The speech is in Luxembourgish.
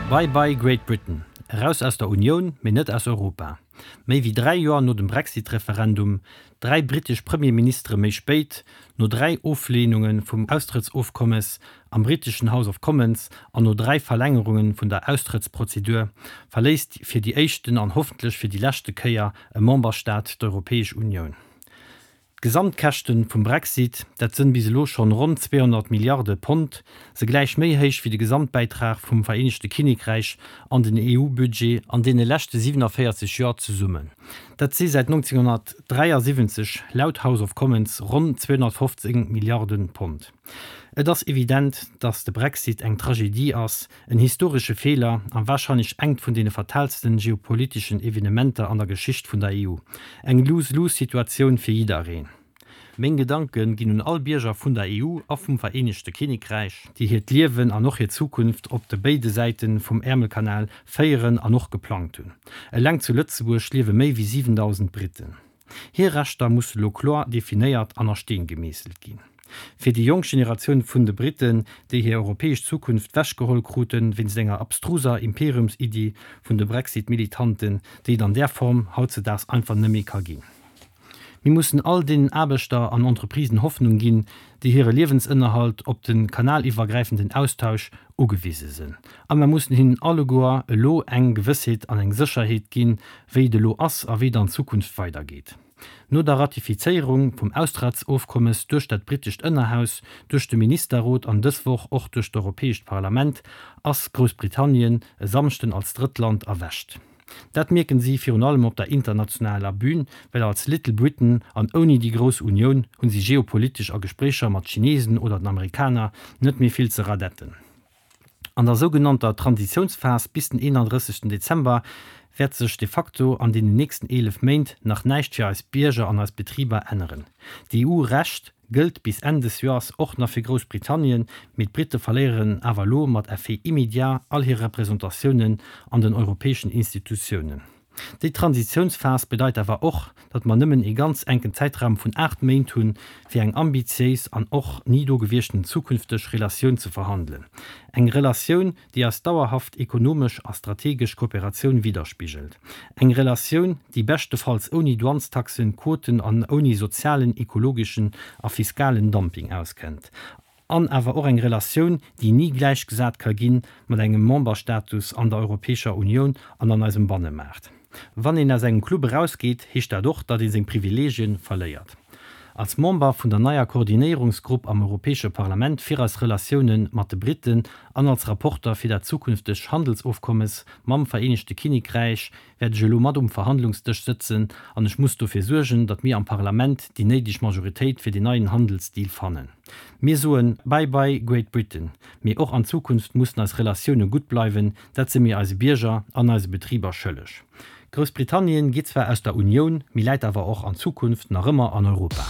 Bye bye Great Britain, eraus aus der Unioun, mee net aus Europa. Méi wéi 3 Joer no dem Brexit-Referendum, 3 britesch Premierministere méi spéit, no 3 Ofleenunge vum Austrëttsofkommes am briteschen House of Commons an no 3 Verlängerunge vun der Austrëttsprozedur, verléisst fir déi éischten an hoffentlech fir déi leschte Kéier e Memberstaat d'Europäesch Unioun. D'Gesamtkäschten vum Brexit, dat sënn bis elo schonn ronn 200 Milliarde Pond, se gläich méi héich wéi de Gesamtbäitrag vum Vereenegte Kinnekräich an den EU-Budget an deene leschte 47 Joer zesummen. Dat si säit 1973 laut House of Commons ronn 215 Milliarde Pond. Et ass evident, datt de Brexit eng Tragedie ass, En historesche Feeler a warscheinlech engt vun deene fataalsten geopoliteschen Evenementer an der Geschicht vun der EU. Eng Lose-Lose-Situatioun fir jiddereen. Meng Gedanke ginn un all Bierger vun der EU a vum Vereenegte Kinnekräich, déi hiert Liewen an och hir Zukunft op de béide Säite vum Äermelkanal féieren an och geplangt hunn. Eleng zu Lëtzebuerg liewe méi wéi 7.000 Briten. Hir Rechter musse lo kloer definéiert an a Steen gemeesselt ginn. Fir déi jonk Generatioun vun de Briten, déi hir europäesch Zukunft wechgeholl kruten wéinst enger abstruser Imperiumsiddi vun de Brexit-Militanten, déi et an där Form hautzedaags einfach net méi ka ginn. Mir mussen all deenen Aarbechter an Entreprisen Hoffnung ginn, déi hire Liewensënnerhalt op de kanaliwwergräifenden Austausch ugewise sinn. A mer mussen hinnen alleguer elo eng Gewëssheet an eng Sécherheet ginn, wéi et elo ass a wéi et an Zukunft weidergeet. No der Ratifizéierung vum Austrettsofkommes duerch dat britescht Ënnerhaus, duerch de Ministerrot an dës Woch och duerch d'Europäescht Parlament, ass Groussbritannien e Samschden als Drëttland erwächt. Dat mierken si virun allem op der internationaler Bühn, well als Little Britain an ouni déi grouss Unioun hunn si geopolitesch a Gespréicher mat Chinesen oder den Amerikaner net méi vill ze radetten. An der sougenannter Transitiounsphas bis den 31 Dezember wäert sech de facto an deenen nächsten 11 Méint nach näischt fir eis Bierger an eis Betriber änneren. D'EU-Recht gëllt bis Enn des Joers och nach fir Groussbritannien, mee d'Britte verléieren awer elo mat Effet immédiat all hir Representatiounen an den europäeschen Institutiounen. Déi Transitiounsphas bedeit awer och, datt mer nëmmen ee ganz enken Zäitraum vun 8 Méint hunn, fir eng ambitiéis an och ni do gewieschten zukünfteg Relatioun ze verhandelen. Eng Relatioun, déi eis dauerhaft ekonomesch a strategesch Kooperatioun widderspigelt. Eng Relatioun, déi beschtefalls ouni Douanestaxen, Quoten an ouni sozialen, ekologeschen a fiskalen Dumping auskennt. An awer och eng Relatioun, déi ni gläichgesat ka gi mat engem Memberstatus an der Europäescher Unioun an an eisem Bannemaart. Wann een aus engem Club erausgeet, heescht dat och, datt ee seng Privileegien verléiert. Als Member vun der neier Koordinéierungsgrupp am Europäesche Parlament fir eis Relatioune mat de Briten an als Rapporter fir dat zukünfteg Handelsofkommes mam Vereenegte Kinnekräich wäert ech elo mat um Verhandlungsdësch sëtzen an ech muss dofir suergen, datt mir am Parlament déi néideg Majoritéit fir deen neien Handelsdeal fannen. Mir soen Bye bye Great Britain, mee och an Zukunft mussen eis Relatioune gutt bleiwen, Dat si mir eise Bierger an eise Betriber schëlleg. Groussbritannien geet zwar aus der Unioun, mee läit awer och an Zukunft nach ëmmer an Europa.